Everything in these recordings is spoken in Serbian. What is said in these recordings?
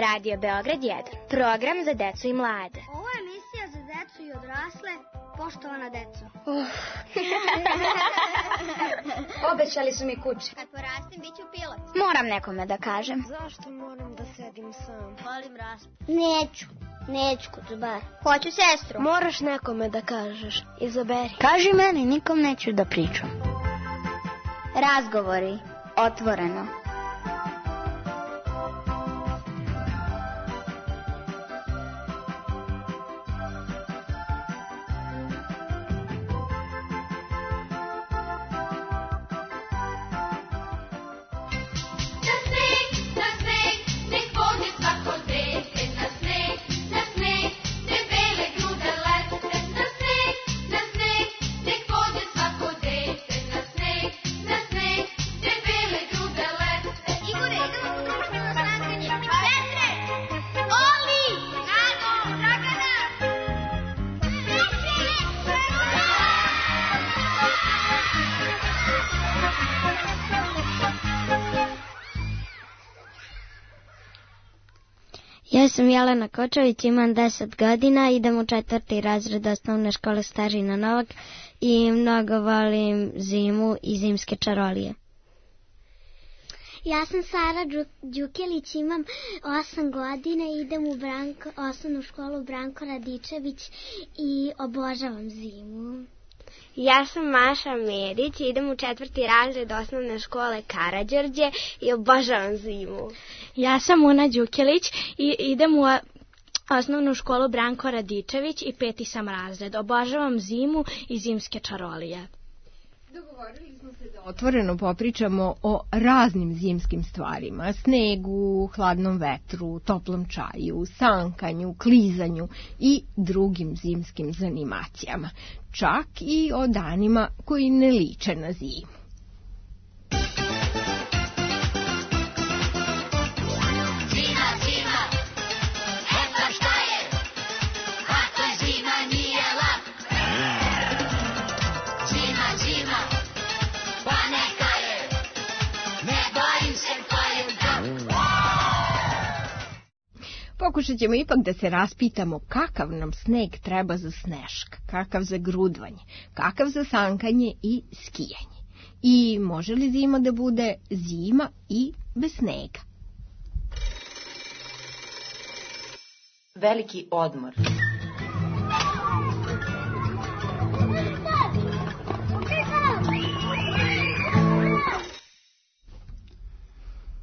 Radio Beograd 1. Program za decu i mlade. Ovo je emisija za decu i odrasle, poštovana deco. Obećali su mi kuće. Kad porastem, bit ću pilot. Moram nekome da kažem. Zašto moram da sedim sam? Volim raspad. Neću kucubar. Hoću sestru. Moraš nekome da kažeš. Izaberi. Kaži meni, nikom neću da pričam. Razgovori. Otvoreno. Ja sam Jelena Kočević, imam 10 godina, idem u 4. razred osnovne škole Starina Novak i mnogo volim zimu i zimske čarolije. Ja sam Sara Đukelić, imam 8 godina i idem u osnovnu školu Branko Radičević i obožavam zimu. Ja sam Maša Medić, idem u 4. razred osnovne škole Karađorđe i obožavam zimu. Ja sam Una Đukelić i idem u osnovnu školu Branko Radičević i 5. sam razred. Obožavam zimu i zimske čarolije. Dogovorili smo se da otvoreno popričamo o raznim zimskim stvarima. Snegu, hladnom vetru, toplom čaju, sankanju, klizanju i drugim zimskim zanimacijama. Čak i o danima koji ne liče na zimu. Pokušat ćemo ipak da se raspitamo kakav nam sneg treba za sneška, kakav za grudvanje, kakav za sankanje i skijanje. I može li zima da bude zima i bez snega? Veliki odmor.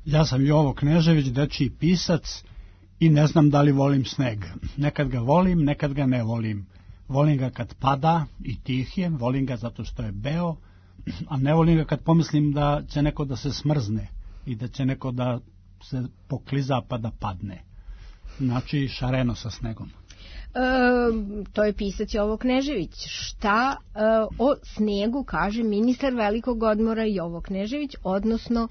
Ja sam Jovo Knežević, dečiji pisac i ne znam da li volim sneg. Nekad ga volim, nekad ga ne volim. Volim ga kad pada i tih je, volim ga zato što je beo, a ne volim ga kad pomislim da će neko da se smrzne i da će neko da se pokliza pa da padne. Znači šareno sa snegom. To je pisac Jovo Knežević. Šta o snegu kaže ministar velikog odmora Jovo Knežević, odnosno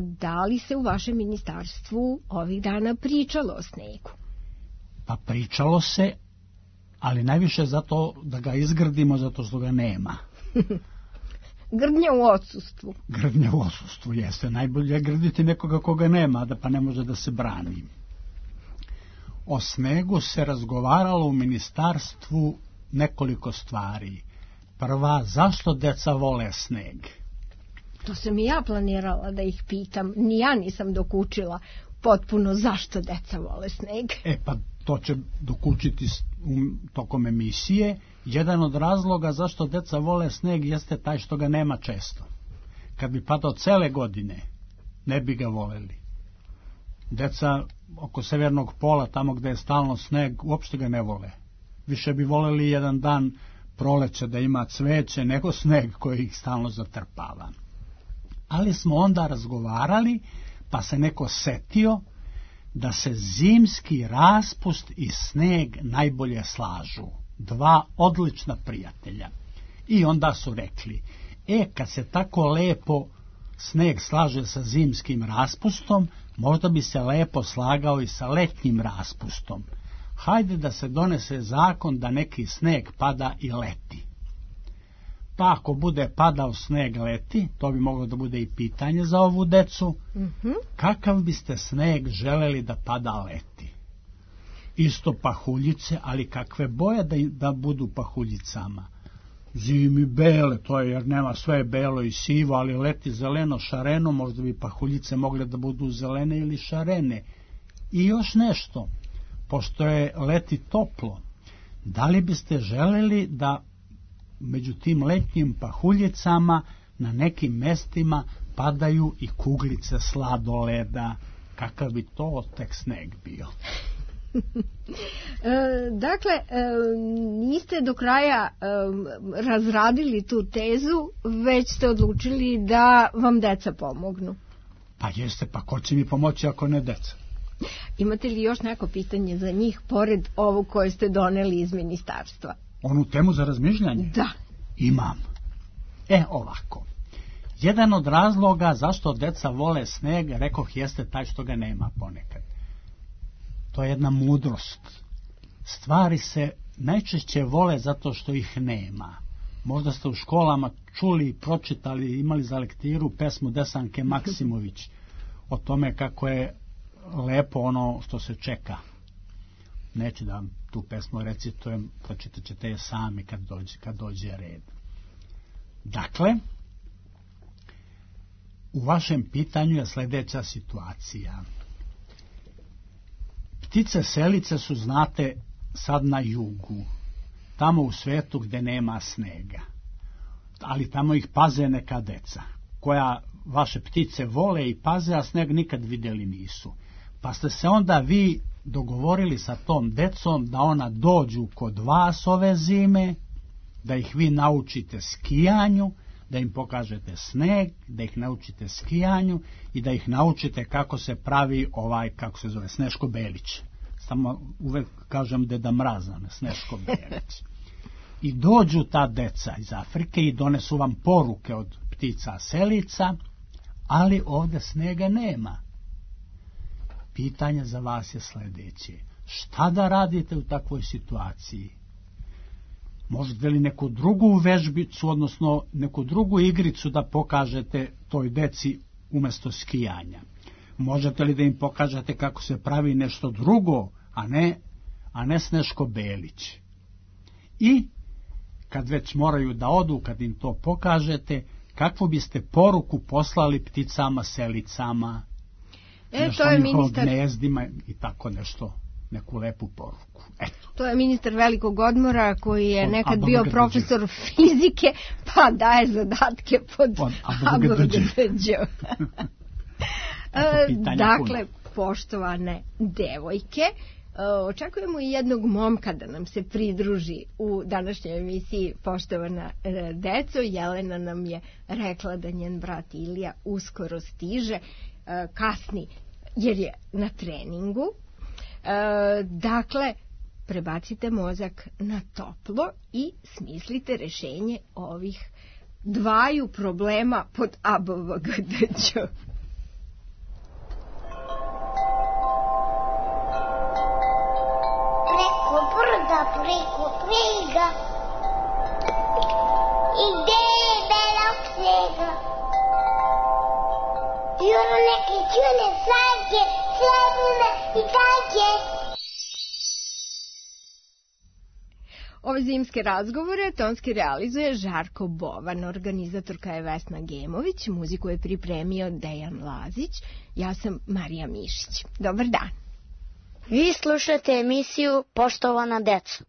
da li se u vašem ministarstvu ovih dana pričalo o snegu? Pa pričalo se, ali najviše zato da ga izgrdimo, zato što ga nema. Grdnja u odsustvu. Grdnja u odsustvu, jeste. Najbolje je grditi nekoga koga nema, da pa ne može da se brani. O snegu se razgovaralo u ministarstvu nekoliko stvari. Prva, zašto deca vole sneg? To sam i ja planirala da ih pitam. Ni ja nisam dokučila potpuno zašto deca vole sneg. Pa to će dokučiti tokom emisije. Jedan od razloga zašto deca vole sneg jeste taj što ga nema često. Kad bi padao cele godine, ne bi ga voleli. Deca oko severnog pola, tamo gde je stalno sneg, uopšte ga ne vole. Više bi voleli jedan dan proleća da ima cveće nego sneg koji ih stalno zatrpava. Ali smo onda razgovarali, pa se neko setio da se zimski raspust i sneg najbolje slažu. Dva odlična prijatelja. I onda su rekli, kad se tako lepo sneg slaže sa zimskim raspustom, možda bi se lepo slagao i sa letnjim raspustom. Hajde da se donese zakon da neki sneg pada i leti. Pa ako bude padao sneg leti, to bi moglo da bude i pitanje za ovu decu, kakav biste sneg želeli da pada leti? Isto pahuljice, ali kakve boje da budu pahuljicama? Zimi bele, to je jer nema, sve je belo i sivo, ali leti zeleno, šareno, možda bi pahuljice mogle da budu zelene ili šarene. I još nešto, pošto je leti toplo, da li biste želeli da među tim letnjim pahuljicama na nekim mestima padaju i kuglice sladoleda? Kakav bi to tek sneg bio? Dakle, niste do kraja razradili tu tezu, već ste odlučili da vam deca pomognu. Pa jeste, pa ko će mi pomoći ako ne deca? Imate li još neko pitanje za njih, pored ovog koje ste doneli iz ministarstva? Onu temu za razmišljanje? Da. Imam. Ovako. Jedan od razloga zašto deca vole sneg, rekoh, jeste taj što ga nema ponekad. To je jedna mudrost. Stvari se najčešće vole zato što ih nema. Možda ste u školama čuli, pročitali, imali za lektiru pesmu Desanke Maksimović o tome kako je lepo ono što se čeka. Neću da vam tu pesmu recitujem, pročitat ćete je sami kad dođe red. Dakle, u vašem pitanju je sljedeća situacija. Ptice selice su, znate, sad na jugu, tamo u svetu gde nema snega, ali tamo ih paze neka deca, koja vaše ptice vole i paze, a sneg nikad vidjeli nisu. Pa ste se onda vi dogovorili sa tom decom da ona dođu kod vas ove zime, da ih vi naučite skijanju, da im pokažete sneg, da ih naučite skijanju i da ih naučite kako se pravi kako se zove, Sneško Belić. Samo uvek kažem Deda Mraza, Sneško Belić. I dođu ta deca iz Afrike i donesu vam poruke od ptica selica, ali ovde snega nema. Pitanje za vas je sljedeće. Šta da radite u takvoj situaciji? Možete li neku drugu vežbicu, odnosno neku drugu igricu da pokažete toj deci umjesto skijanja? Možete li da im pokažete kako se pravi nešto drugo, a ne Sneško Belić? I kad već moraju da odu, kad im to pokažete, kakvu biste poruku poslali pticama selicama, nešto o njihovim gnezdima i tako nešto, neku lepu poruku? Eto. To je ministar velikog odmora koji je nekad bio profesor fizike, pa daje zadatke pod ABGDđ. Dakle, poštovane devojke, očekujemo i jednog momka da nam se pridruži u današnjoj emisiji Poštovana deco. Jelena nam je rekla da njen brat Ilija uskoro stiže, kasni jer je na treningu. Dakle, prebacite mozak na toplo i smislite rešenje ovih dvaju problema pod ABGDđ. Preko brda, preko knjiga, i gde je belog snega, juro neke čune sajke, srebrne i tajke. Ove zimske razgovore tonski realizuje Žarko Bovan, organizatorka je Vesna Gemović, muziku je pripremio Dejan Lazić, ja sam Marija Mišić. Dobar dan. Vi slušate emisiju Poštovana deco.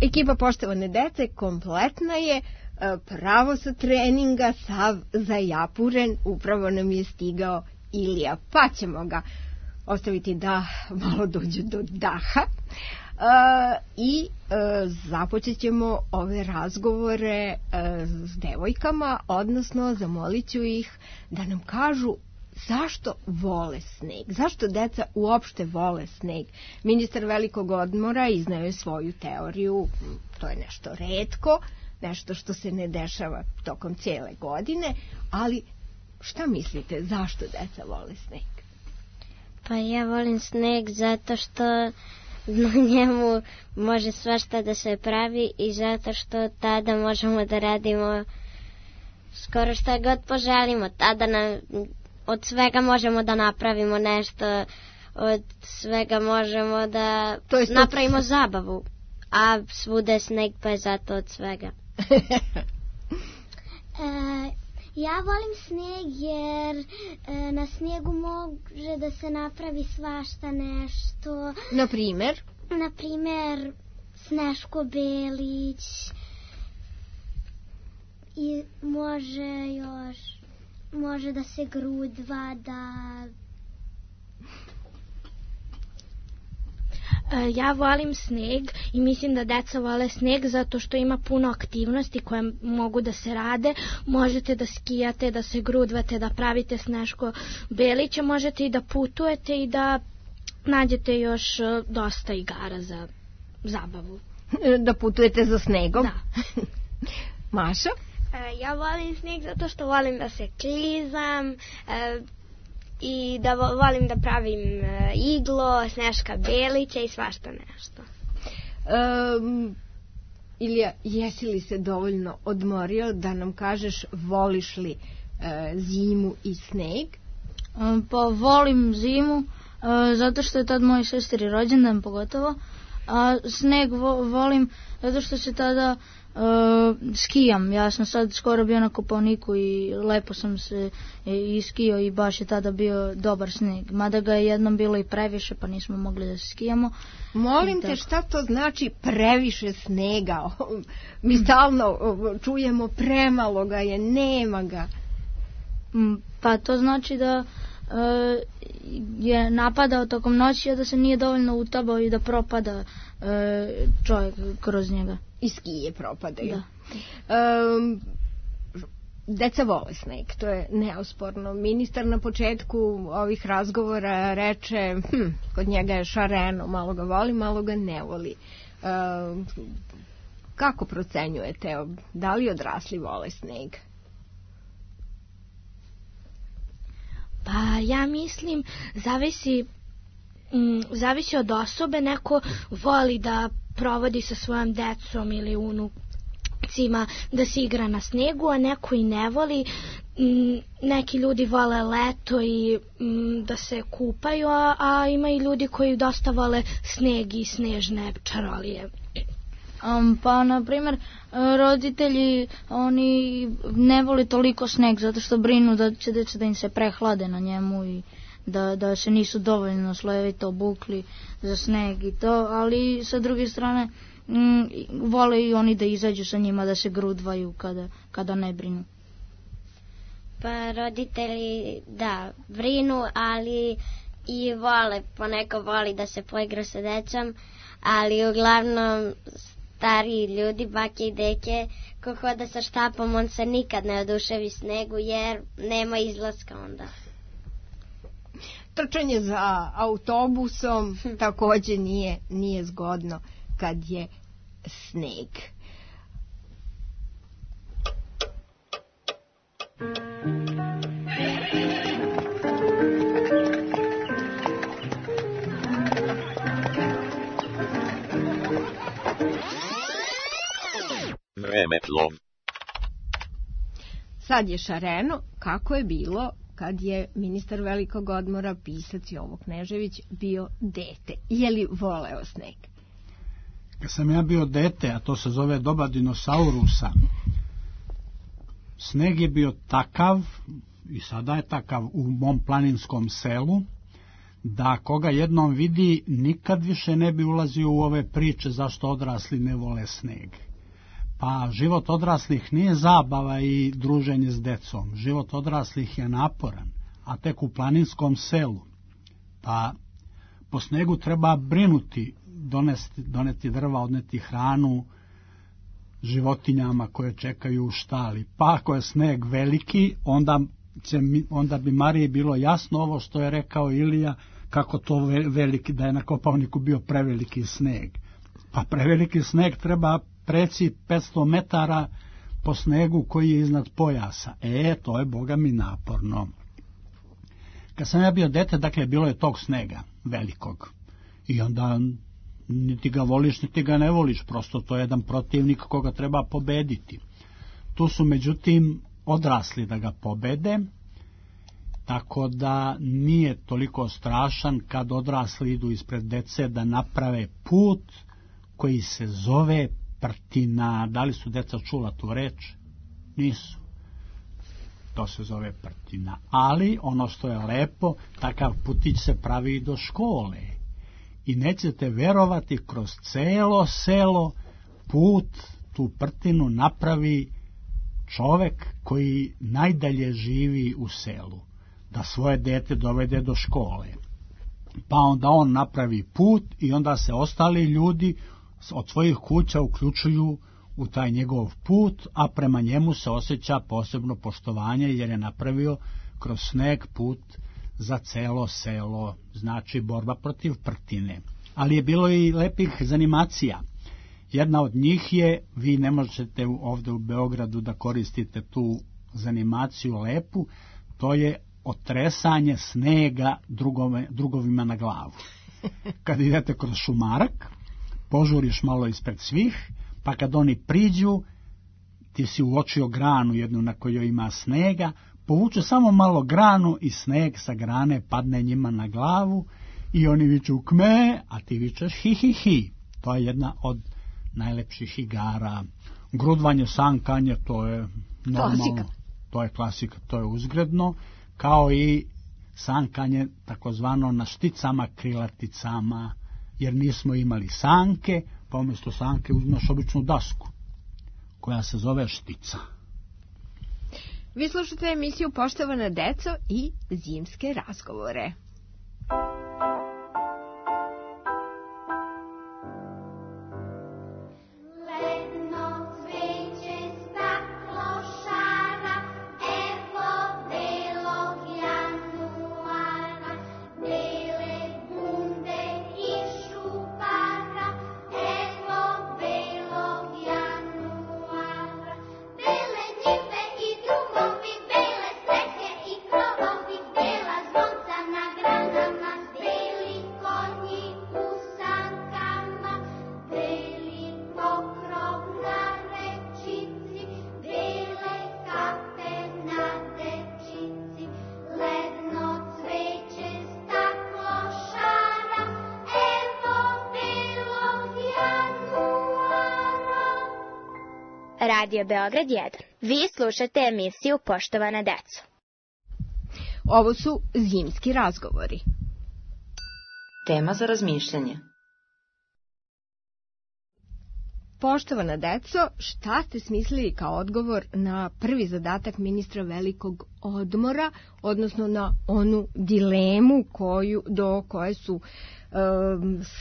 Ekipa Poštovane dece kompletna je, pravo sa treninga, sav zajapuren, upravo nam je stigao Ilija, pa ćemo ga ostaviti da malo dođe do daha. I započet ćemo ove razgovore s devojkama, odnosno zamolit ću ih da nam kažu zašto vole sneg, zašto deca uopšte vole sneg. Ministar velikog odmora iznao je svoju teoriju, to je nešto retko, nešto što se ne dešava tokom cijele godine, ali šta mislite, zašto deca vole sneg? Pa ja volim sneg zato što na njemu može svašta da se pravi i zato što tada možemo da radimo skoro šta god poželimo. Tada od svega možemo da napravimo nešto, od svega možemo da napravimo zabavu, a svuda je sneg pa je zato od svega. Ja volim sneg jer na snijegu može da se napravi svašta nešto. Na primjer? Na primjer Sneško Belić i može da se grudva, da... Ja volim sneg i mislim da deca vole sneg zato što ima puno aktivnosti koje mogu da se rade. Možete da skijate, da se grudvate, da pravite Sneško Belića, možete i da putujete i da nađete još dosta igara za zabavu. Da putujete za snegom? Da. Maša? Ja volim sneg zato što volim da se klizam i da volim da pravim iglo, Sneška Belića i svašta nešto. Ilija, jesi li se dovoljno odmorio da nam kažeš voliš li zimu i sneg? Pa volim zimu zato što je tad moj sestri rođendan pogotovo, a sneg volim zato što se tada skijam. Ja sam sad skoro bio na Kopaoniku i lepo sam se iskijao i baš je tada bio dobar sneg. Mada ga je jednom bilo i previše pa nismo mogli da se skijamo. Molim te, šta to znači previše snega? Mi stalno čujemo premalo ga je, nema ga. Pa to znači da je napadao tokom noći, a da se nije dovoljno utabao i da propada čovjek kroz njega. I skije propadaju. Da. Deca vole sneg, to je neosporno. Ministar na početku ovih razgovora reče, kod njega je šareno, malo ga voli, malo ga ne voli. Kako procenjujete, da li odrasli vole sneg? Pa ja mislim, zavisi od osobe. Neko voli da provodi sa svojom decom ili unucima da se igra na snegu, a neko i ne voli. Neki ljudi vole leto i da se kupaju, a ima i ljudi koji dosta vole sneg i snežne čarolije. Pa, na primjer, roditelji, oni ne vole toliko sneg zato što brinu da će deca da im se prehlade na njemu i da se nisu dovoljno slojevito obukli za sneg i to, ali sa druge strane vole i oni da izađu sa njima, da se grudvaju kada ne brinu. Pa roditelji, da, brinu, ali i vole, poneko voli da se poigra sa decom, ali uglavnom stariji ljudi, bake i deke, ko hoda sa štapom, on se nikad ne oduševi snegu jer nema izlaska onda. Trčanje za autobusom takođe nije zgodno kad je sneg. Vremeplov. Sad je šareno kako je bilo kad je ministar velikog odmora, pisac Jovo Knežević, bio dete. Je li voleo sneg? Kad sam ja bio dete, a to se zove doba dinosaurusa, sneg je bio takav, i sada je takav u mom planinskom selu, da koga jednom vidi nikad više ne bi ulazio u ove priče zašto odrasli ne vole sneg. Pa život odraslih nije zabava i druženje s decom. Život odraslih je naporan, a tek u planinskom selu. Pa po snegu treba brinuti doneti drva, odneti hranu životinjama koje čekaju u štali. Pa ako je sneg veliki, onda bi Mariji bilo jasno ovo što je rekao Ilija, kako to veliki, da je na Kopaoniku bio preveliki sneg. Pa preveliki sneg treba preci 500 metara po snegu koji je iznad pojasa. To je Boga mi naporno. Kad sam ja bio dete, dakle, bilo je tog snega velikog. I onda niti ga voliš, niti ga ne voliš, prosto to je jedan protivnik koga treba pobediti. Tu su međutim odrasli da ga pobede, tako da nije toliko strašan kad odrasli idu ispred dece da naprave put koji se zove Prtina. Da li su deca čula tu reč? Nisu. To se zove Prtina. Ali ono što je lepo, takav putić se pravi i do škole. I nećete verovati, kroz celo selo put, tu Prtinu napravi čovek koji najdalje živi u selu, da svoje dete dovede do škole. Pa onda on napravi put i onda se ostali ljudi od svojih kuća uključuju u taj njegov put, a prema njemu se osjeća posebno poštovanje jer je napravio kroz sneg put za celo selo, znači borba protiv Prtine. Ali je bilo i lepih zanimacija. Jedna od njih je, vi ne možete ovde u Beogradu da koristite tu zanimaciju lepu, to je otresanje snega drugovima na glavu. Kad idete kroz šumarak, požuriš malo ispred svih, pa kad oni priđu, ti si uočio granu jednu na kojoj ima snega, povuče samo malo granu i sneg sa grane padne njima na glavu i oni viču kme, a ti vičeš hi hi hi. To je jedna od najlepših igara. Grudvanje, sankanje, to je normalno. Klasika. To je klasika, to je uzgredno, kao i sankanje takozvano na šticama, krilaticama, jer nismo imali sanke, pa umjesto sanke uzmeš običnu dasku, koja se zove štica. Vi slušate emisiju Poštovana deco i zimske razgovore. Radio Beograd 1. Vi slušate emisiju Poštovana deco. Ovo su zimski razgovori. Tema za razmišljanje. Poštovana deco, šta ste smislili kao odgovor na prvi zadatak ministra velikog odmora, odnosno na onu dilemu do koje su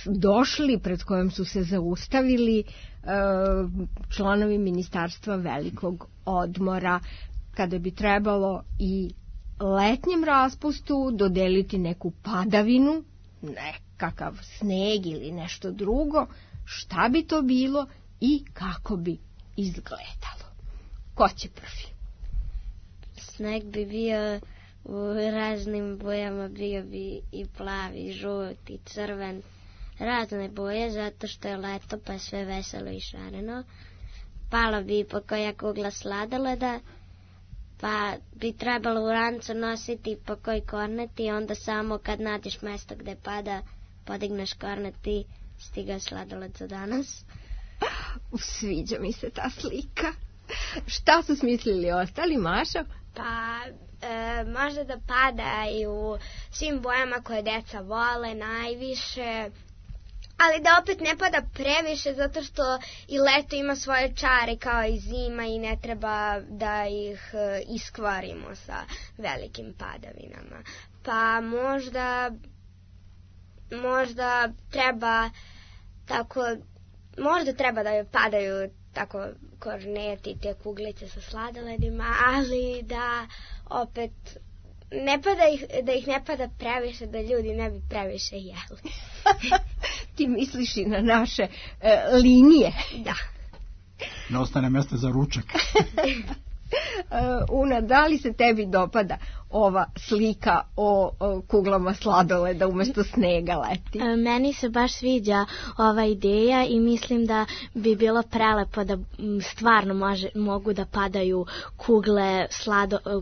došli, pred kojom su se zaustavili članovi ministarstva velikog odmora, kada bi trebalo i letnjem raspustu dodeliti neku padavinu, nekakav sneg ili nešto drugo, šta bi to bilo i kako bi izgledalo. Ko će prvi? Sneg bi bio u raznim bojama, bio bi i plavi, žuti, crven, razne boje, zato što je leto pa sve veselo i šareno. Pala bi po koja kugla sladoleda, pa bi trebalo u rancu nositi po koji kornet i onda samo kad nađeš mesto gde pada, podigneš kornet i stiga sladoled za danas. Sviđa mi se ta slika. Šta su smislili ostali, Mašo? Pa možda da pada i u svim bojama koje deca vole najviše, ali da opet ne pada previše, zato što i leto ima svoje čare kao i zima i ne treba da ih iskvarimo sa velikim padavinama. Pa možda treba tako možda treba da padaju tako korneti, te kuglice sa sladoledima, ali da opet da ih ne pada previše, da ljudi ne bi previše jeli. Ti misliš i na naše linije. Da. Ne ostane mjesta za ručak. Una, da li se tebi dopada ova slika o kuglama sladoleda umjesto snega leti? Meni se baš sviđa ova ideja i mislim da bi bilo prelepo da stvarno mogu da padaju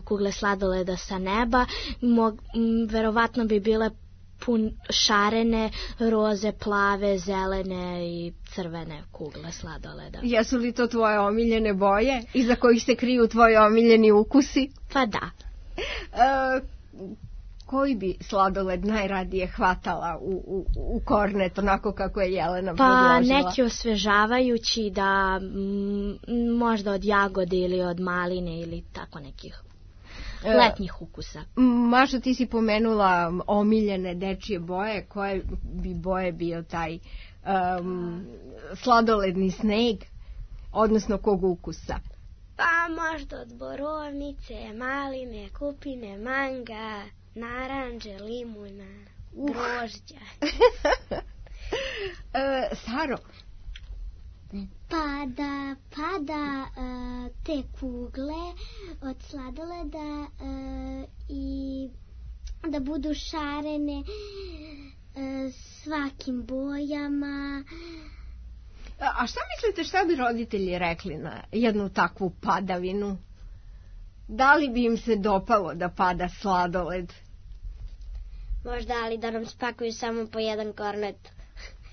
kugle sladoleda sa neba. Verovatno bi bile šarene, roze, plave, zelene i crvene kugle sladoleda. Jesu li to tvoje omiljene boje iza kojih se kriju tvoji omiljeni ukusi? Pa da. Koji bi sladoled najradije hvatala u kornet, onako kako je Jelena predložila? Pa neki osvežavajući, da možda od jagode ili od maline ili tako nekih letnjih ukusa. Maša, ti si pomenula omiljene dečije boje. Koje bi boje bio taj sladoledni sneg, odnosno kog ukusa? Pa možda od borovnice, maline, kupine, manga, naranđe, limuna, grožđa. Saro? Pa da pada te kugle od sladoleda i da budu šarene svakim bojama. A šta mislite, šta bi roditelji rekli na jednu takvu padavinu? Da li bi im se dopalo da pada sladoled? Možda, ali da nam spakuju samo po jedan kornet.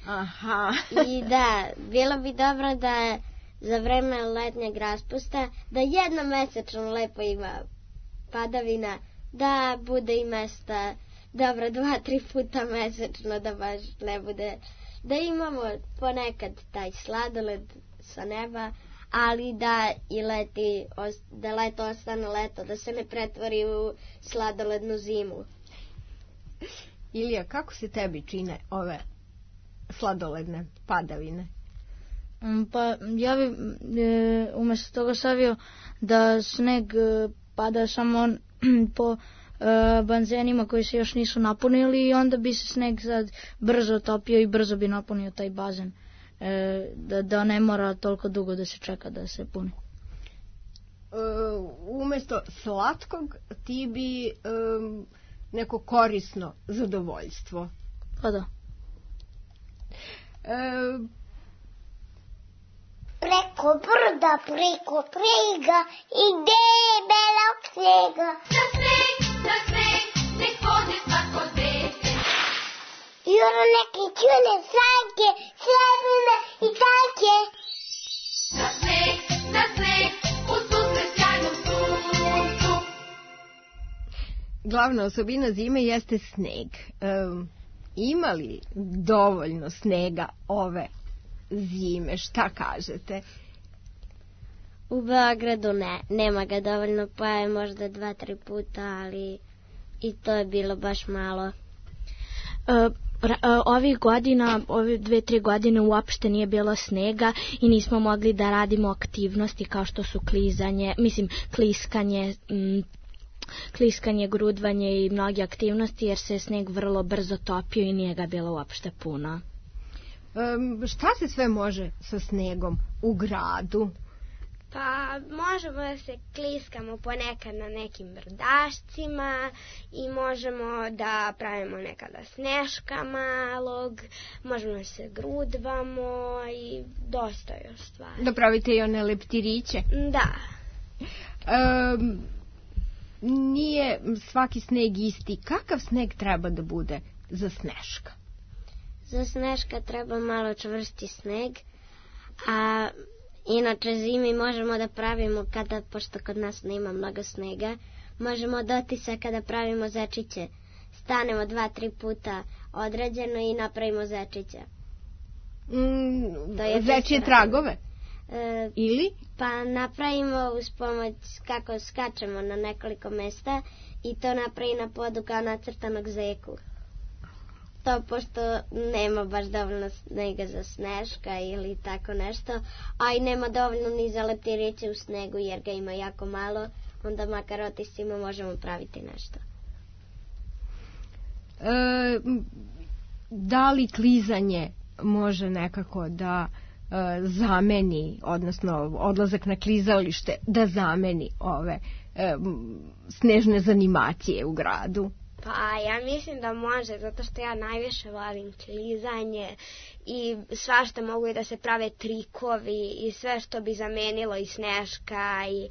Aha. I da, bilo bi dobro da za vreme letnjeg raspusta da jednomesečno lepo ima padavina, da bude i mesta dobro 2-3 puta mesečno, da baš ne bude, da imamo ponekad taj sladoled sa neba, ali da i da leto ostane leto, da se ne pretvori u sladolednu zimu. Ilija, kako se tebi čine ove sladoledne padavine? Pa ja bi umjesto toga savio da sneg pada samo po banzenima koji se još nisu napunili i onda bi se sneg sad brzo topio i brzo bi napunio taj bazen, da ne mora toliko dugo da se čeka da se puni. Umjesto slatkog ti bi neko korisno zadovoljstvo. Pa da. Preko brda, preko priga ide belog snega. Na sneg, nek pode svako dete. Juro neke čune sanke, srebrne i tanke. Na sneg, u susret sjajnom suncu. Glavna osobina zime jeste sneg. Ima li dovoljno snega ove zime? Šta kažete? U Beogradu nema ga dovoljno, pa je možda 2-3 puta, ali i to je bilo baš malo. Ovih godina, ove 2-3 godine uopšte nije bilo snega i nismo mogli da radimo aktivnosti kao što su kliskanje, grudvanje i mnoge aktivnosti, jer se sneg vrlo brzo topio i nije ga bilo uopšte puno. Šta se sve može sa snegom u gradu? Pa možemo da se kliskamo ponekad na nekim brdašcima i možemo da pravimo nekada sneška malog, možemo da se grudvamo i dosta još stvari. Da pravite i one leptiriće? Da. Nije svaki sneg isti. Kakav sneg treba da bude za sneška? Za sneška treba malo čvrsti sneg, a inače zimi možemo da pravimo, pošto kod nas nema mnogo snega, možemo od otisaka da pravimo zečiće. Stanemo 2-3 puta određeno i napravimo zečiće. Zečije tragove? Ili? Pa napravimo uz pomoć kako skačemo na nekoliko mesta i to napravi na podu kao nacrtanog zeku. to pošto nema baš dovoljno snega za sneška ili tako nešto, a i nema dovoljno ni za leptiriće u snegu jer ga ima jako malo, onda makar otiscima možemo praviti nešto. Da li klizanje može nekako da zameni, odnosno odlazak na klizalište da zameni ove snežne zanimacije u gradu? Pa ja mislim da može, zato što ja najviše volim klizanje i svašta mogu i da se prave trikovi i sve što bi zamenilo i sneška i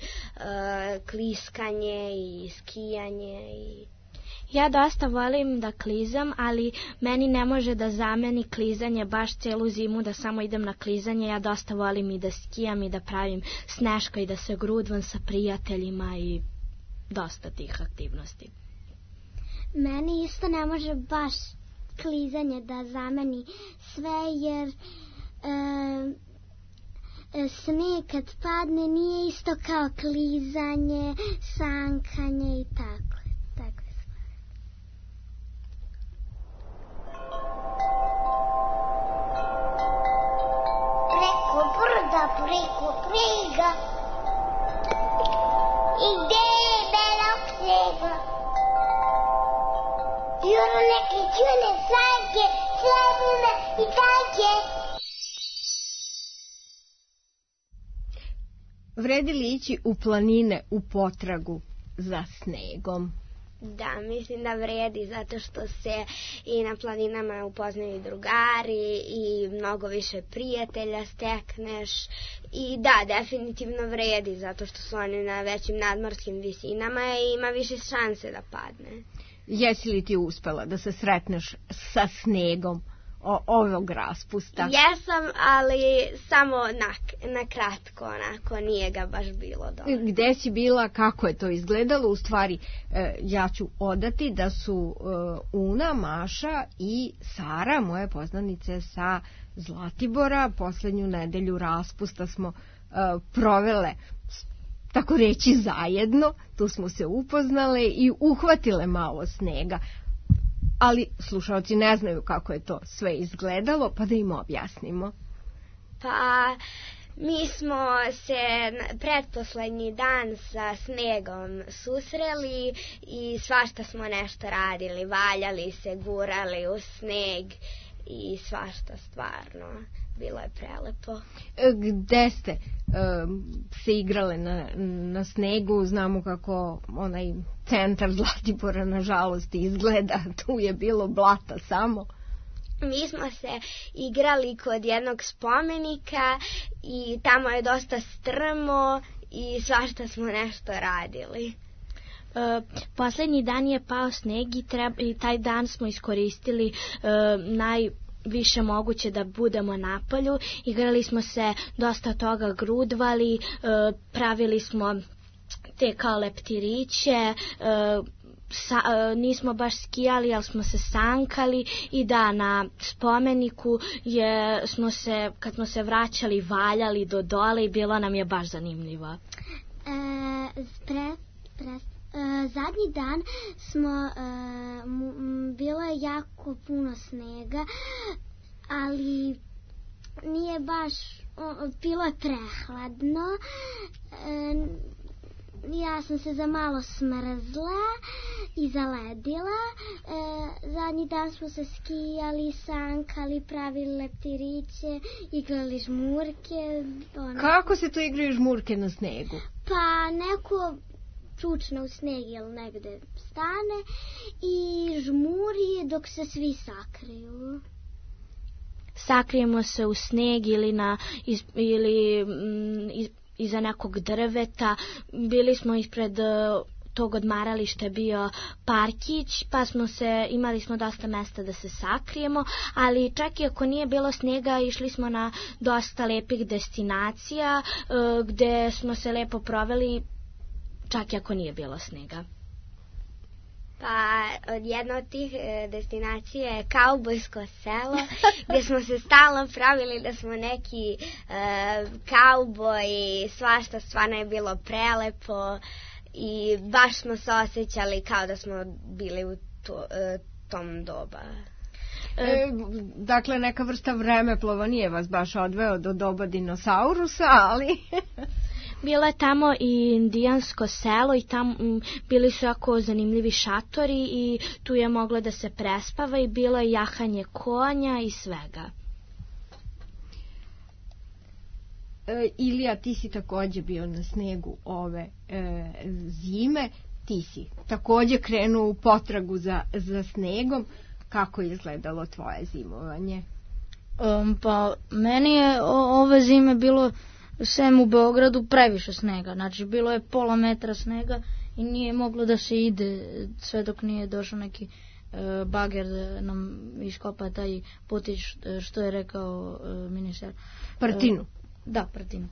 kliskanje i skijanje i... Ja dosta volim da klizam, ali meni ne može da zameni klizanje baš celu zimu da samo idem na klizanje. Ja dosta volim i da skijam i da pravim sneška i da se grudvam sa prijateljima i dosta tih aktivnosti. Meni isto ne može baš klizanje da zameni sve, jer sneg kad padne nije isto kao klizanje, sankanje i tako. Preko brda, preko prega i gde je belog snega. Juro neke čune sanke, srebrne i tanke. Vredi li ići u planine u potragu za snegom? Da, mislim da vredi, zato što se i na planinama upoznaju drugari i mnogo više prijatelja stekneš. I da, definitivno vredi, zato što su oni na većim nadmorskim visinama i ima više šanse da padne. Jesi li ti uspela da se sretneš sa snegom ovog raspusta? Jesam, ali samo na kratko, onako, nije ga baš bilo dobro. Gde si bila, kako je to izgledalo? U stvari, ja ću odati da su Una, Maša i Sara, moje poznanice sa Zlatibora, poslednju nedelju raspusta smo provele, tako reći, zajedno. Tu smo se upoznale i uhvatile malo snega. Ali slušaoci ne znaju kako je to sve izgledalo, pa da im objasnimo. Pa mi smo se pretposlednji dan sa snegom susreli i svašta smo nešto radili, valjali se, gurali u sneg i svašta stvarno. Bilo je prelepo. Gde ste se igrale na snegu? Znamo kako onaj centar Zlatibora nažalost izgleda. Tu je bilo blata samo. Mi smo se igrali kod jednog spomenika i tamo je dosta strmo i svašta smo nešto radili. Poslednji dan je pao sneg i taj dan smo iskoristili više moguće da budemo na polju. Igrali smo se, dosta toga grudvali, pravili smo te kao leptiriće, nismo baš skijali, ali smo se sankali i da, na spomeniku smo se, kad smo se vraćali, valjali do dole i bilo nam je baš zanimljivo. Zadnji dan smo, bilo je jako puno snega, ali nije baš, bilo je prehladno. Ja sam se za malo smrzla i zaledila. Zadnji dan smo se skijali, sankali, pravili leptiriće, igrali žmurke. Kako se to igraju žmurke na snegu? Pa neko čučne u sneg ili negde stane i žmuri dok se svi sakriju. Sakrijemo se u sneg ili iza nekog drveta. Bili smo ispred tog odmarališta je bio parkić, pa imali smo dosta mesta da se sakrijemo, ali čak i ako nije bilo snega, išli smo na dosta lepih destinacija gde smo se lepo proveli, čak i ako nije bilo snega. Pa jedna od tih destinacija je kaubojsko selo, gdje smo se stalno pravili da smo neki kauboji, svašta, stvarno je bilo prelepo i baš smo se osjećali kao da smo bili u tom doba. Dakle, neka vrsta vremeplova nije vas baš odveo do doba dinosaurusa, ali... Bilo je tamo i indijansko selo i tamo bili su jako zanimljivi šatori i tu je moglo da se prespava i bilo je jahanje konja i svega. Ilija, ti si takođe bio na snegu ove zime, ti si takođe krenuo u potragu za snegom. Kako je izgledalo tvoje zimovanje? Pa meni je ove zime bilo sem u Beogradu previše snega, znači bilo je pola metra snega i nije moglo da se ide sve dok nije došao neki bager da nam iskopa taj putić što je rekao ministar. Partinu. Da, Partinu.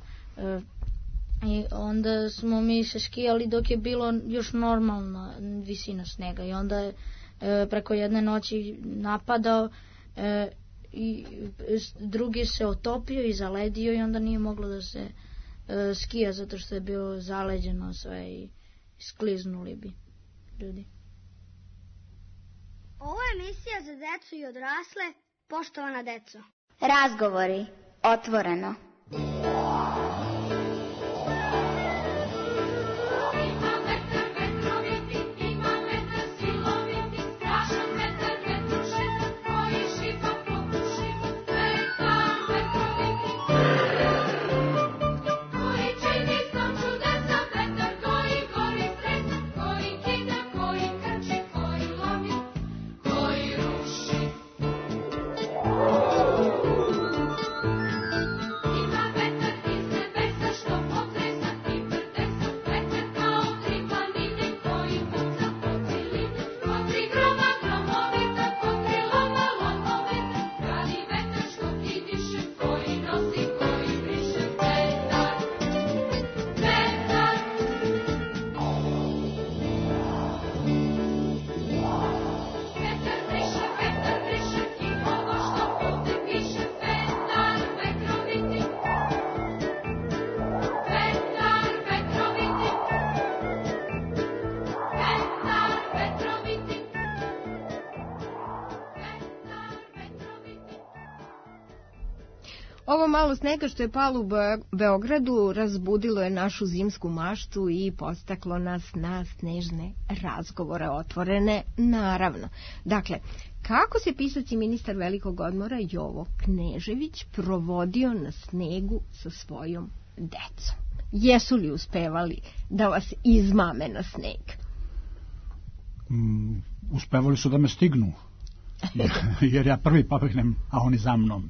I onda smo mi se skijali dok je bilo još normalna visina snega i onda je preko jedne noći napadao i drugi se otopio i zaledio i onda nije moglo da se skija zato što je bilo zaleđeno sve i skliznuli bi ljudi. Ovo je emisija za decu i odrasle, poštovana deco. Razgovori, otvoreno. Ovo malo snega što je palo u Beogradu razbudilo je našu zimsku maštu i podstaklo nas na snežne razgovore otvorene, naravno. Dakle, kako se pisac i ministar velikog odmora Jovo Knežević provodio na snegu sa svojom decom? Jesu li uspevali da vas izmame na sneg? Uspevali su da me stignu, jer ja prvi pobegnem, a oni za mnom.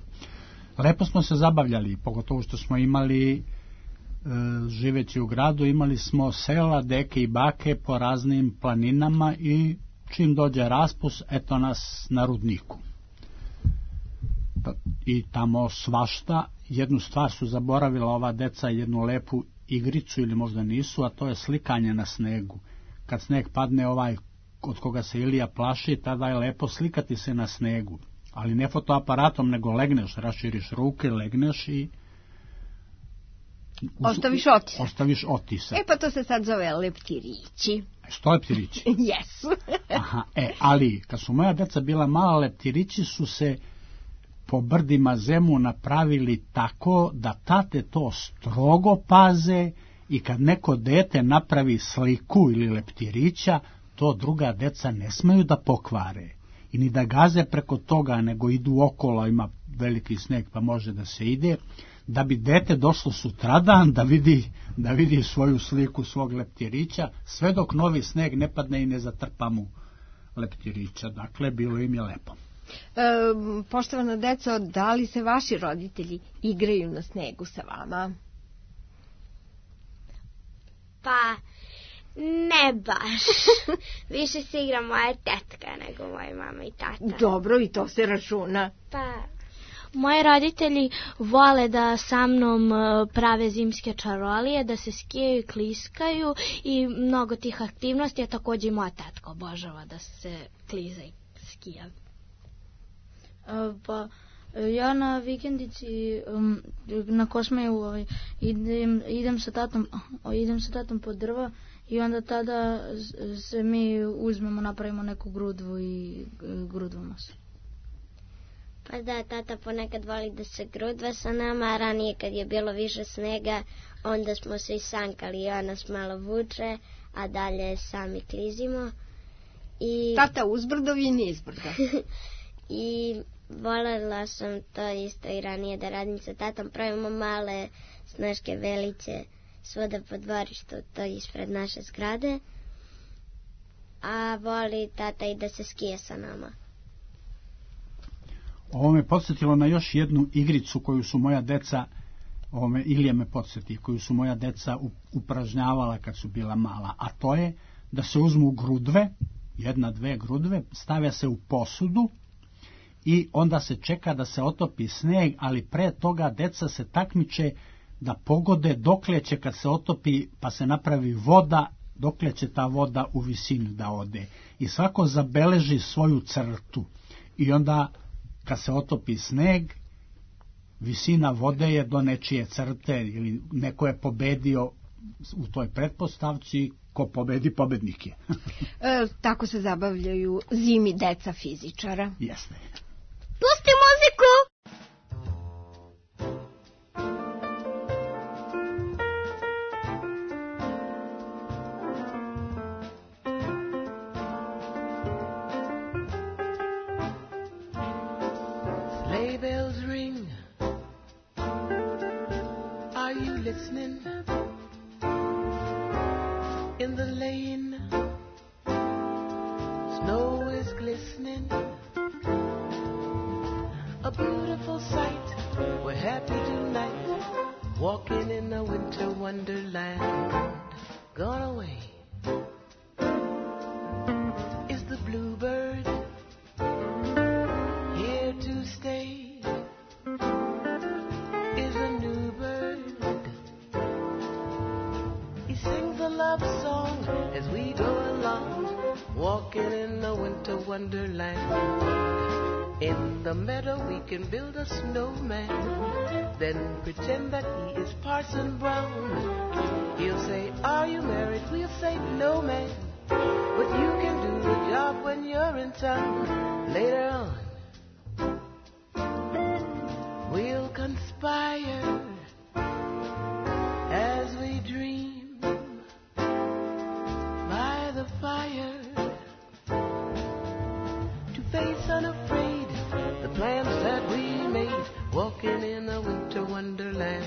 Lepo smo se zabavljali, pogotovo što smo imali, živeći u gradu, imali smo sela, deke i bake po raznim planinama i čim dođe raspust, eto nas na rudniku. I tamo svašta, jednu stvar su zaboravila ova deca, jednu lepu igricu ili možda nisu, a to je slikanje na snegu. Kad sneg padne ovaj od koga se Ilija plaši, tada je lepo slikati se na snegu. Ali ne fotoaparatom, nego legneš, raširiš ruke, legneš i... Ostaviš otisak. Pa to se sad zove leptirići. Što leptirići? Jesu. Aha, ali kad su moja deca bila mala, leptirići su se po brdima zemu napravili tako da tate to strogo paze i kad neko dete napravi sliku ili leptirića, to druga deca ne smeju da pokvare. I ni da gaze preko toga, nego idu okolo, ima veliki sneg pa može da se ide, da bi dete došlo sutradan da vidi svoju sliku svog leptirića, sve dok novi sneg ne padne i ne zatrpa mu leptirića. Dakle, bilo im je lepo. Poštovana deco, da li se vaši roditelji igraju na snegu sa vama? Pa... ne baš. Više se igra moja tetka nego moja mama i tata. Dobro, i to se računa. Pa... moji roditelji vole da sa mnom prave zimske čarolije, da se skijaju i kliskaju i mnogo tih aktivnosti, a također i moja tetka obožava da se kliza i skija. Pa ja na vikendici na Kosmaju idem sa tatom pod drva i onda tada se mi uzmemo, napravimo neku grudvu i grudvamo se. Pa da, tata ponekad voli da se grudva sa nama, a ranije kad je bilo više snega, onda smo se i sankali i on nas malo vuče, a dalje sami klizimo. Tata uzbrdo, vi nizbrdo. I volela sam to isto i ranije da radim sa tatom. Pravimo male snaške veliće svuda po dvorištu, to ispred naše zgrade. A voli tata i da se skije sa nama. Ovo me podsjetilo na još jednu igricu koju su moja deca, Ilija me podsjeti, koju su moja deca upražnjavala kad su bila mala, a to je da se uzmu grudve, 1-2 grudve, stavlja se u posudu i onda se čeka da se otopi sneg, ali pre toga deca se takmiče da pogode dokle će kad se otopi, pa se napravi voda, dokle će ta voda u visinu da ode. I svako zabeleži svoju crtu. I onda kad se otopi sneg, visina vode je do nečije crte ili neko je pobedio u toj pretpostavci, ko pobedi, pobednik je. Tako se zabavljaju zimi deca fizičara. Jeste. Pusti muziku! Sleigh bells ring. Are you listening? In the lane, snow is glistening. A beautiful sight. We're happy tonight, walking in a winter wonderland. Gone away is the bluebird, here to stay is a new bird. He sings a love song as we go along, walking in a winter wonderland. In the meadow we can build a snowman, then pretend that he is Parson Brown. He'll say, are you married? We'll say, no, man. But you can do the job when you're in town. Later on, we'll conspire as we dream by the fire to face unafraid the plans that we made, walking in a winter wonderland.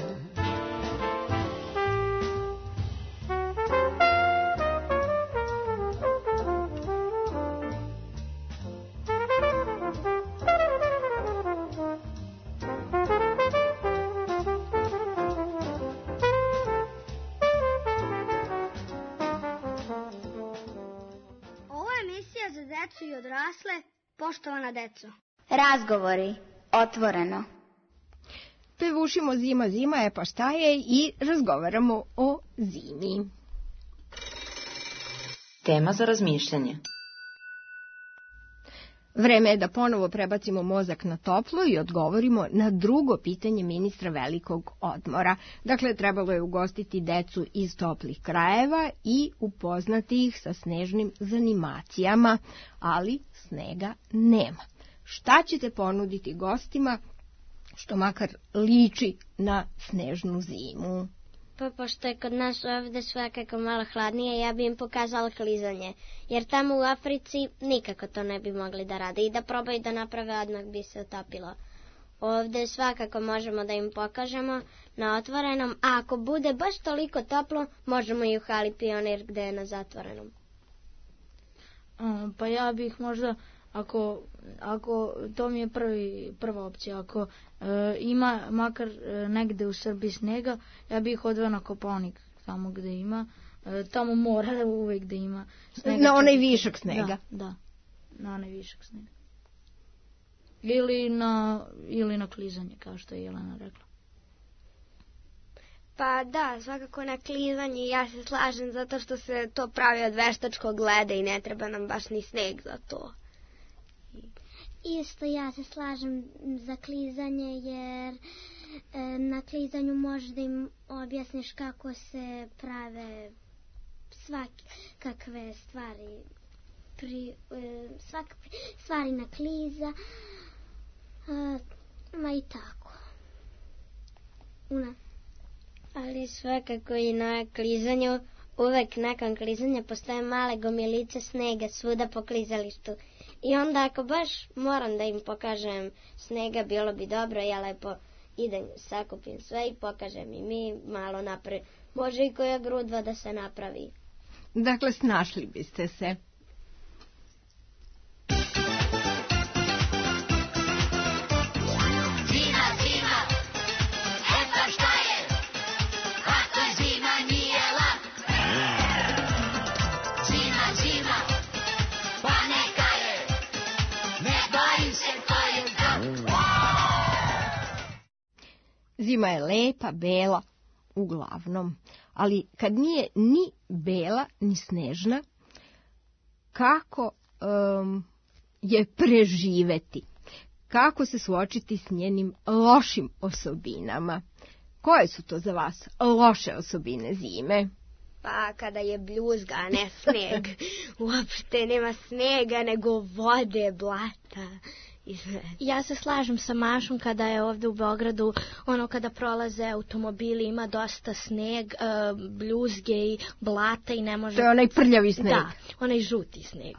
Ovo je emisija za decu i odrasle, poštovana deco. Razgovori, otvoreno. Pevušimo Zima, zima je pa šta je i razgovaramo o zimi. Tema za razmišljanje. Vreme je da ponovo prebacimo mozak na toplo i odgovorimo na drugo pitanje ministra velikog odmora. Dakle, trebalo je ugostiti decu iz toplih krajeva i upoznati ih sa snežnim zanimacijama, ali snega nema. Šta ćete ponuditi gostima što makar liči na snežnu zimu? Pa pošto je kod nas ovde svakako malo hladnije, ja bi im pokazala klizanje. Jer tamo u Africi nikako to ne bi mogli da rade. I da probaju da naprave, odmah bi se utopilo. Ovde svakako možemo da im pokažemo na otvorenom, a ako bude baš toliko toplo, možemo i u hali Pionir gde je na zatvorenom. Pa ja bih možda, ako to mi je prva opcija, ako ima makar negde u Srbiji snega, ja bih odveo na Kopaonik, tamo gde ima, tamo mora uvek da ima snega. Na onaj višak snega. Da, na onaj višak snega. Ili na klizanje, kao što je Jelena rekla. Pa da, svakako na klizanje, ja se slažem zato što se to pravi od veštačkog leda i ne treba nam baš ni sneg za to. Isto ja se slažem za klizanje, jer na klizanju možeš da im objasniš kako se prave svakakve stvari, stvari na kliza, Ma i tako. Ali svakako i na klizanju, uvek nakon klizanja postoje male gomilice snega svuda po klizalištu. I onda ako baš moram da im pokažem snega, bilo bi dobro, ja lepo idem, sakupim sve i pokažem i mi malo napred. Može i koja grudva da se napravi. Dakle, snašli biste se. Zima je lepa, bela, uglavnom, ali kad nije ni bela, ni snežna, kako je preživeti? Kako se suočiti s njenim lošim osobinama? Koje su to za vas loše osobine zime? Pa kada je bljuzga, a ne sneg. Uopšte nema snega, nego vode, blata. Ja se slažem sa Mašom kada je ovde u Beogradu, kada prolaze automobili, ima dosta sneg, bljuzge i blata i ne može... To je onaj prljavi sneg. Da, onaj žuti sneg.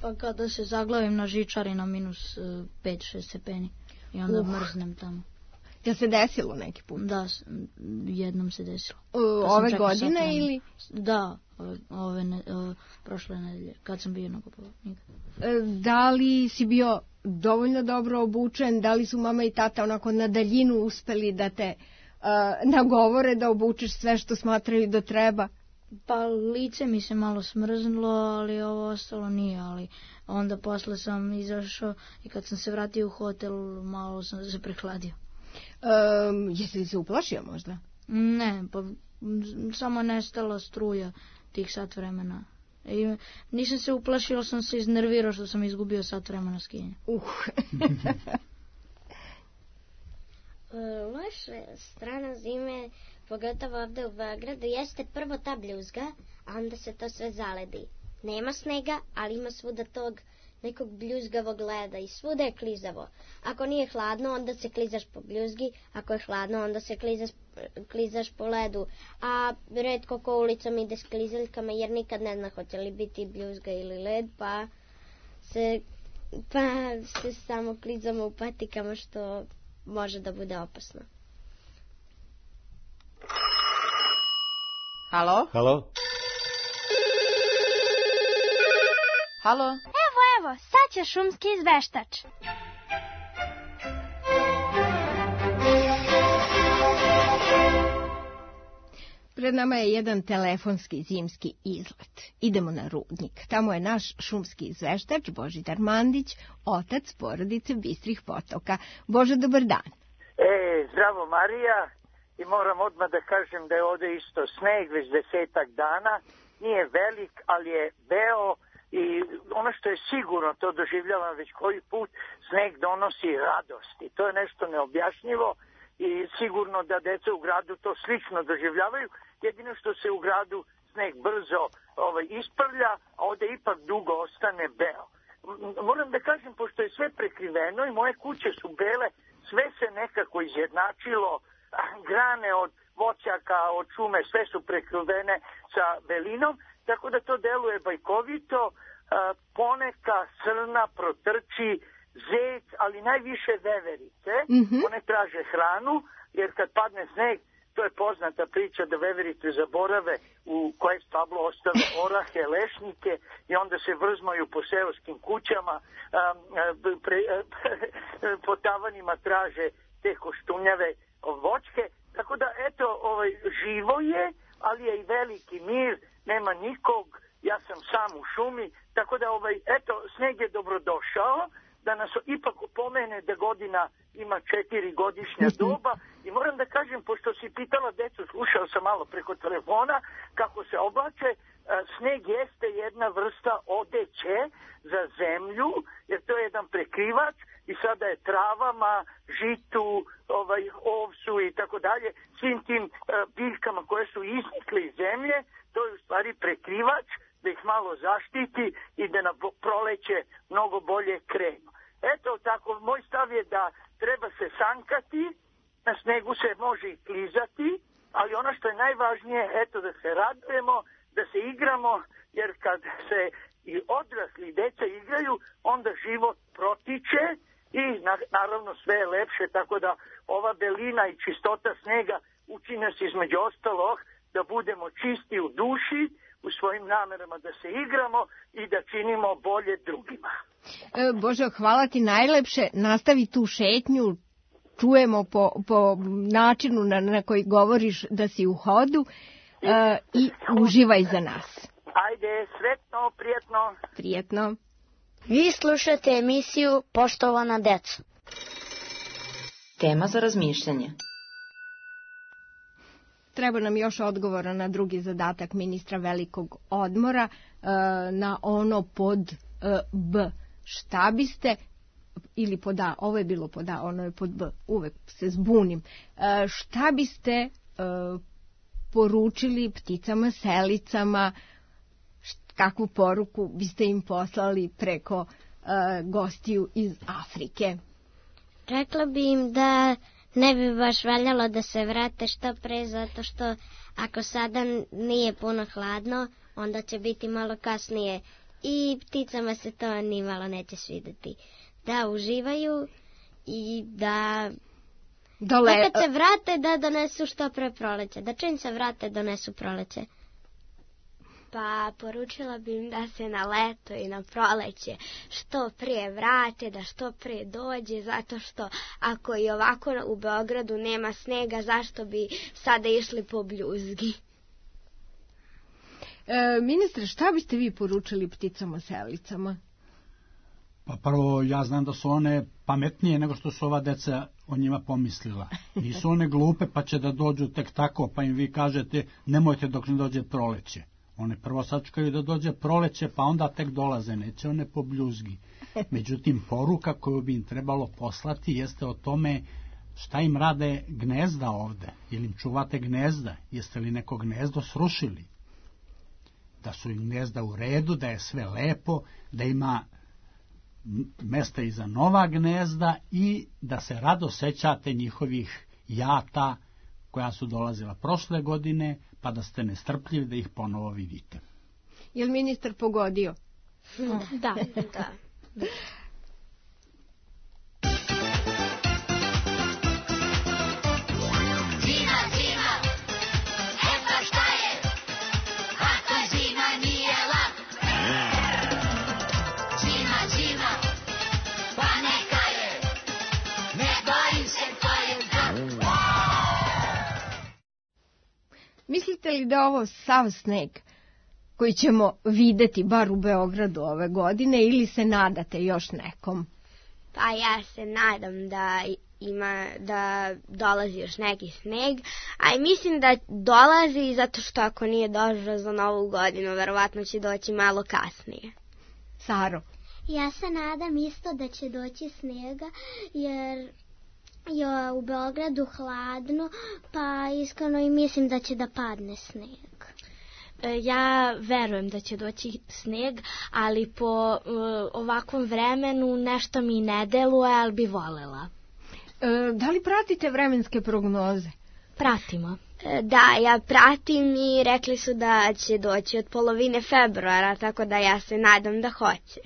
Pa kada se zaglavim na žičari na minus 5-6 stepeni i onda mrznem tamo. Jel se desilo neki put? Da, jednom se desilo. Ove godine ili? Da, prošle nedelje, kad sam bio na Kopaoniku. Da li si bio dovoljno dobro obučen? Da li su mama i tata onako na daljinu uspeli da te nagovore da obučeš sve što smatraju da treba? Pa lice mi se malo smrznulo, ali ovo ostalo nije, ali onda posle sam izašao i kad sam se vratio u hotel, malo sam se prehladio. Jesi li se uplašio možda? Ne, pa samo nestala struja tih sat vremena. I nisam se uplašio, sam se iznervirao što sam izgubio sat vremena skijanja. Loša strana zime, pogotovo ovde u Beogradu, jeste prvo ta bljuzga, a onda se to sve zaledi. Nema snega, ali ima svuda tog nekog bljuzgavog leda i svuda je klizavo. Ako nije hladno, onda se klizaš po bljuzgi, ako je hladno, onda se klizaš po ledu. A retko ko ulicom ide s klizaljkama, jer nikad ne zna hoće li biti bljuzga ili led, pa se samo klizamo u patikama, što može da bude opasno. Halo? Halo? Halo? Evo, sad će šumski izveštač. Pred nama je jedan telefonski zimski izlet. Idemo na Rudnik. Tamo je naš šumski izveštač Božidar Mandić, otac porodice Bistrih potoka. Bože, dobar dan. Zdravo Marija, i moram odmah da kažem da je ovde isto sneg već 10 dana. Nije velik, ali je beo. I ono što je sigurno, to doživljavam već koji put, sneg donosi radost. I to je nešto neobjašnjivo i sigurno da deca u gradu to slično doživljavaju. Jedino što se u gradu sneg brzo isprlja, a ovde ipak dugo ostane beo. Moram da kažem, pošto je sve prekriveno i moje kuće su bele, sve se nekako izjednačilo, grane od voćaka, od šume, sve su prekrivene sa belinom, tako da to deluje bajkovito. Poneka srna protrči, zec, ali najviše veverice. One traže hranu, jer kad padne sneg, to je poznata priča da veverice zaborave u koje stablo ostave orahe, lešnike i onda se vrzmaju po seoskim kućama, po tavanima traže te koštunjave voćke. Tako da, eto, živo je, ali je i veliki mir, nema nikog, ja sam sam u šumi, tako da, eto, sneg je dobrodošao, da nas ipak pomene da godina ima 4 godišnja doba i moram da kažem, pošto si pitala decu, slušao sam malo preko telefona kako se oblače, sneg jeste jedna vrsta odeće za zemlju, jer to je jedan prekrivač i sada je travama, žitu, ovsu i tako dalje, svim tim biljkama koje su iznikle iz zemlje, to je u stvari prekrivač da ih malo zaštiti i da na proleće mnogo bolje krenu. Eto tako, moj stav je da treba se sankati, na snegu se može i klizati, ali ono što je najvažnije, eto da se radujemo, da se igramo, jer kad se i odrasli i deca igraju, onda život protiče i naravno sve je lepše, tako da ova belina i čistota snega uči nas između ostalog da budemo čisti u duši, u svojim namerama da se igramo i da činimo bolje drugima. Božo, hvala ti najlepše, nastavi tu šetnju, čujemo po načinu na koji govoriš da si u hodu i uživaj za nas. Ajde, sretno, prijetno. Prijetno. Vi slušate emisiju Poštovana deco. Tema za razmišljanje. Treba nam još odgovora na drugi zadatak ministra velikog odmora, na ono pod B. Šta biste, ili pod A, ovo je bilo pod A, ono je pod B, uvek se zbunim. Šta biste poručili pticama, selicama, kakvu poruku biste im poslali preko gostiju iz Afrike? Rekla bi im da ne bi baš valjalo da se vrate što pre, zato što ako sada nije puno hladno, onda će biti malo kasnije i pticama se to ni malo neće svideti. Da uživaju i da kad se vrate da donesu što pre proleće, da čim se vrate donesu proleće. Pa poručila bi im da se na leto i na proleće što prije vrate, da što prije dođe, zato što ako i ovako u Beogradu nema snega, zašto bi sada išli po bljuzgi? Ministre, šta biste vi poručili pticama selicama? Pa prvo, ja znam da su one pametnije nego što su ova deca o njima pomislila. Nisu one glupe pa će da dođu tek tako, pa im vi kažete nemojte dok ne dođe proleće. One prvo sačekaju da dođe proleće, pa onda tek dolaze, neće one po bljuzgi. Međutim, poruka koju bi im trebalo poslati jeste o tome šta im rade gnezda ovde. Ili im čuvate gnezda, jeste li neko gnezdo srušili? Da su im gnezda u redu, da je sve lepo, da ima mesta i za nova gnezda i da se rado sećate njihovih jata koja su dolazila prošle godine, pa da ste nestrpljivi da ih ponovo vidite. Je li ministar pogodio? Da. Zima, eto šta je, ako zima nije lak. Zima, pa neka je, ne bojim se, to je znak. Mislite li da ovo sav sneg koji ćemo videti bar u Beogradu ove godine ili se nadate još nekom? Pa ja se nadam da dolazi još neki sneg, a i mislim da dolazi zato što ako nije došao za Novu godinu, verovatno će doći malo kasnije. Saro? Ja se nadam isto da će doći snega, jer je u Beogradu hladno, pa iskreno i mislim da će da padne sneg. Ja verujem da će doći sneg, ali po ovakvom vremenu nešto mi ne deluje, ali bi volela. Da li pratite vremenske prognoze? Pratimo. Da, ja pratim i rekli su da će doći od polovine februara, tako da ja se nadam da hoće.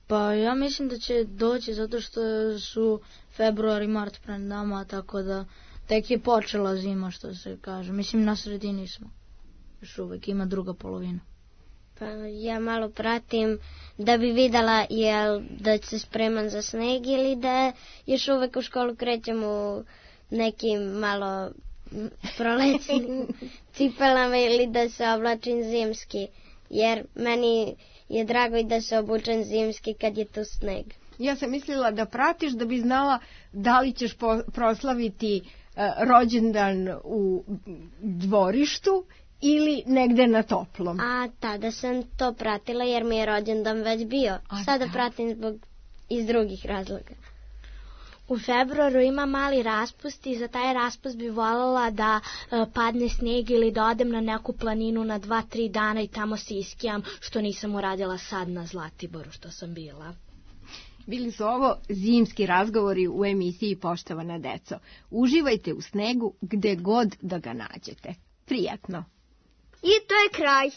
Pa ja mislim da će doći zato što su februar i mart pred nama, tako da tek je počela zima, što se kaže. Mislim, na sredini smo. Još uvek ima druga polovina. Pa ja malo pratim da bi videla jel da se spreman za sneg ili da još uvek u školu krećemo u nekim malo prolećnim cipelama ili da se oblačim zimski. Jer meni je drago i da se obučem zimski kad je tu sneg. Ja sam mislila da pratiš da bi znala da li ćeš proslaviti rođendan u dvorištu ili negde na toplom. A tada sam to pratila jer mi je rođendan već bio. Sada pratim iz drugih razloga. U februaru ima mali raspust i za taj raspust bi voljela da padne sneg ili da odem na neku planinu na 2-3 dana i tamo se iskijam, što nisam uradila sad na Zlatiboru što sam bila. Bili su ovo zimski razgovori u emisiji Poštovana deco. Uživajte u snegu gde god da ga nađete. Prijatno. I to je kraj.